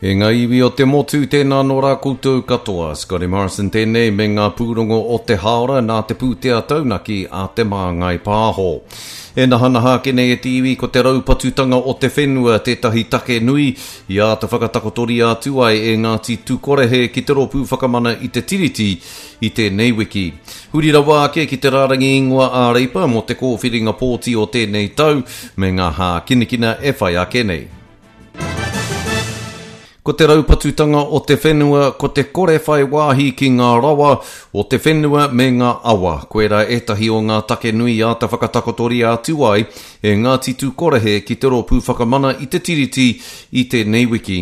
E ngā iwi o te motu, tēnā nō rā koutou katoa. Scotty Morrison tēnei me ngā pūrongo o te hāora nā te pūtea taunaki a Te Māngai Pāho. E nahanaha ake nei e te iwi ko te raupatutanga o te whenua tētahi take nui i āta whakatakotoria atu ai e Ngāti Tukorehe ki te Rōpū Whakamana i te Tiriti i tēnei wiki. Huri rawa ake ki te rārangi ingoa ā-Reipa mō te kōwhiringa pōti o tēnei tau me ngā hākinakina e whai ake nei. Ko te raupatutanga o te whenua, ko te kore whai wāhi ki ngā rawa o te whenua me ngā awa. Koirā ētahi o ngā take nui āta whakatakotoria atu ai e Ngāti Tūkorehe ki te Rōpū Whakamana i te Tiriti i tēnei wiki.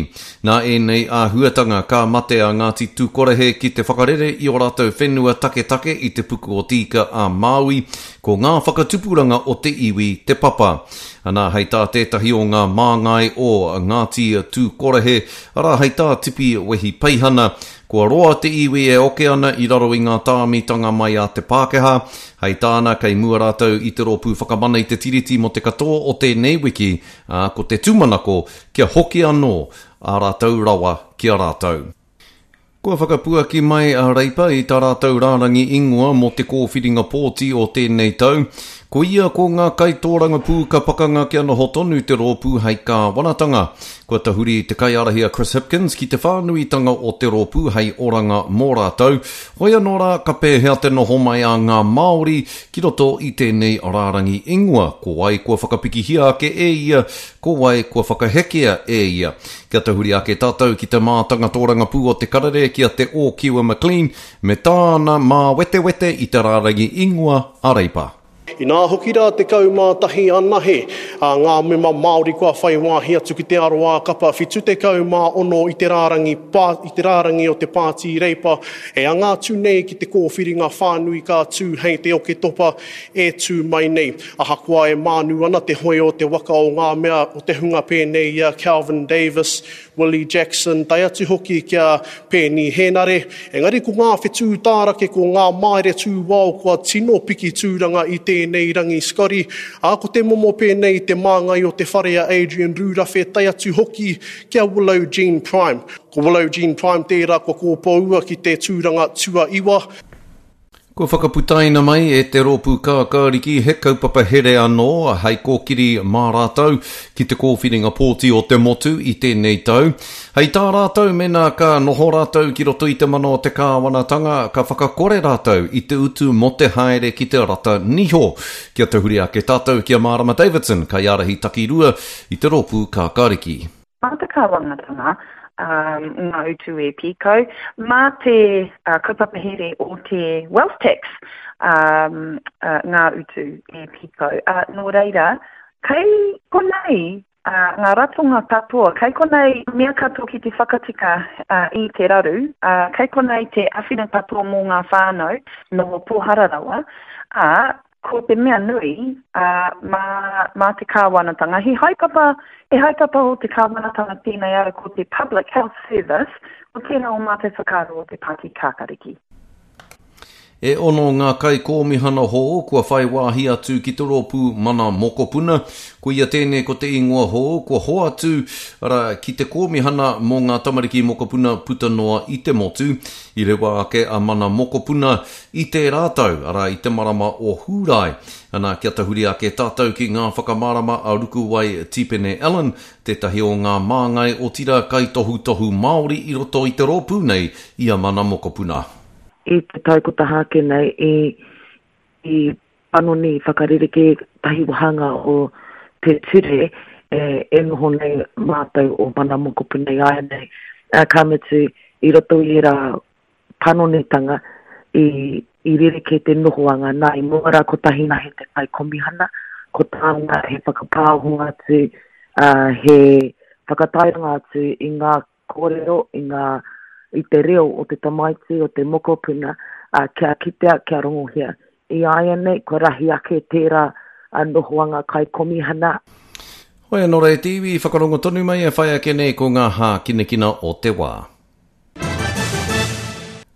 Nā ēnei āhuatanga ka mate a Ngāti Tūkorehe ki te whakarere i ō rātou whenua taketake i te puku o Te Ika a Māui, ko ngā whakatupuranga o te iwi te papa. Anā, hei tā tētahi o ngā māngai o Ngāti Tūkorehe, arā, hei tā Tipi Wehi Peihana, kua roa te iwi e oke ana i raro i ngā tāmitanga mai a te Pākehā. Hei tāna, kei mua rātou i te Rōpū Whakamana i te Tiriti mō te katoa o tēnei wiki, ā, ko te tūmanako kia hoki anō ā rātou rawa ki a rātou. Kua whakapuaki mai a Reipa i tā rātou rārangi ingoa mō te kōwhiringa pōti o tēnei tau. Ko ia ko ngā kaitōrangapū ka pakanga kia noho tonu te rōpū hei kāwanatanga. Kua tahuri te kaiārahi a Chris Hipkins ki te whānuitanga o te rōpū hei oranga mō rātou. Hoi anō rā, ka pēhea te noho mai a ngā Māori ki roto i tēnei rārangi ingoa? Ko wai kua whakapikihia ake e ia, ko wai kua whakahekea e ia? Kia tahuri ake tātou ki te mātanga tōrangapū o te karere ki a Te Ōkiwa McLean me tāna māwetewete i te rārangi ingoa a Reipa. Inā hoki rā 11 anahe ngā mema Māori kua whai wāhi atu ki te aroā kapa 76 i te rārangi i te rārangi o te Pāti Reipa e anga atu nei ki te kōwhiringa whānui ka tū hei te Oketopa e tū mai nei. Ahakoa e mānu ana te hoe o te waka o ngā mea o te hunga pēnei i a Kelvin Davis, Willie Jackson, tae atu hoki ki a Peeni Henare, engari ko ngā whetū tārake, ko ngā maere tūwao kua tino piki tūranga i tēnei rangi Scotty, ā, ko te momo pēnei i te māngai o te whare a Adrian Rurawhe, tae atu hoki ki a Willow Jean Prime. Ko Willow Jean Prime tērā kua kōpoua ki te tūranga tuaiwa. Kua whakaputaina mai e te Rōpū Kākāriki he kaupapa here anō hei kōkiri mā rātou ki te kōwhiringa pōti o te motu i tēnei tau. Hei tā rātou mēnā ka noho rātou ki roto i te mana o te kāwanatanga ka whakakore rātou i te utu mō te haere ki te rata niho. Kia tahuri ake tātou ki a Mārama Davidson, kaiārahi takirua i te Rōpū Kākāriki. Mā te kāwanatanga ngā utu e pīkau, mā te kaupapa here o te wealth tax ngā utu e pīkau. Nō reira, kei konei ngā ratonga katoa, kei konei mea katoa ki te whakatika i te raru, kei konei te āwhina katoa mō ngā whānau noho pōhara rawa, ā, Ko te mea nui, ā, mā, mā te kāwanatanga, he haepapa, he haepapa o te kāwanatanga tēnei ara ko te Public Health Service, ko tērā o mātou whakaaro o te Pāti Kākariki. E ono ngā kaikōmihana hou kua whai wāhi atu ki te rōpū Mana Mokopuna. Koia tēnei ko te ingoa hou kua hoatu, arā, ki te kōmihana mō ngā tamariki mokopuna puta noa i te motu. I rewa ake a Mana Mokopuna I tērā tau, arā, i te marama o Hūrae, ana, kia tahuri ake tātou ki ngā whakamārama a Rukuwai Tipene Allen, tētahi o ngā māngai, otirā kaitohutohu Māori i roto i te rōpū nei, i a Mana Mokopuna. I te tau ko taha ake nei, i, i panoni, i whakarerekē tahi wāhanga o te ture e, e noho nei mātou o Mana Mokopuna i āianei, ā, ka mutu, i roto i ērā panonitanga i, i rerekē te nohoanga. Nā, i mua rā kotahi nahe te kaikomihana, ko tāna he whakapāoho atu, ā, he whakatairanga atu i ngā kōrero, i ngā, i te reo o te tamaiti, o te mokopuna, ā, kia kitea, kia rongohia. I āianei, kua rahi ake tērā nohoanga kaikomihana. Hoi anō rā e te iwi, whakarongo tonu mai e whai ake nei ko ngā hākinakina o te wā.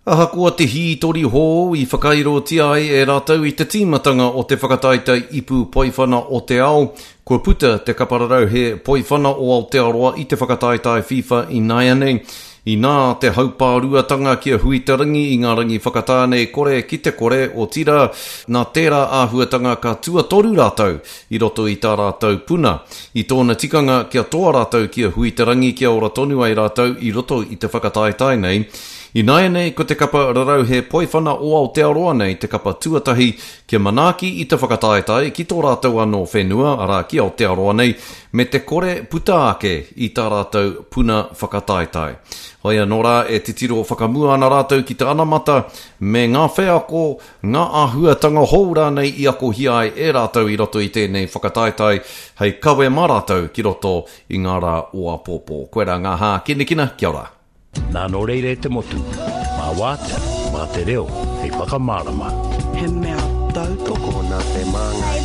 Ahakoa te hītori hou i whakairotia ai e rātou i te tīmatanga o te whakataetae ipu poiwhana o te ao, kua puta te kapa rarauhe poiwhana o Aotearoa i te whakataetae FIFA ināianei. Inā te haupāruatanga ki a Huiterangi i ngā rangi whakatā nei kore ki te kore, otirā, nā tērā āhuatanga ka tuatoru rātou i roto i tā rātou puna. I tōna tikanga kia toa rātou ki a Huiterangi kia ora tonu ai rātou i roto i te whakataetae nei. Ināianei ko te kapa rarauhe poiwhana o Aotearoa nei te kapa tuatahi kia manaaki i te whakataetae ki tō rātou anō whenua, arā ki Aotearoa nei, me te kore puta ake i tā rātou puna whakataetae. Hoi anō rā e titiro whakamua ana rātou ki te anamata me ngā wheako ngā āhuatanga hou rānei i akohia ai e rātou i roto i tēnei whakataetae hei kawe mā rātou ki roto i ngā rā o āpōpō. Koirā ngā hākinakina, kia ora. Nā nō reira e te motu, mā wātea, mā te reo hei whakamārama. He mea tautoko nā te Māngai.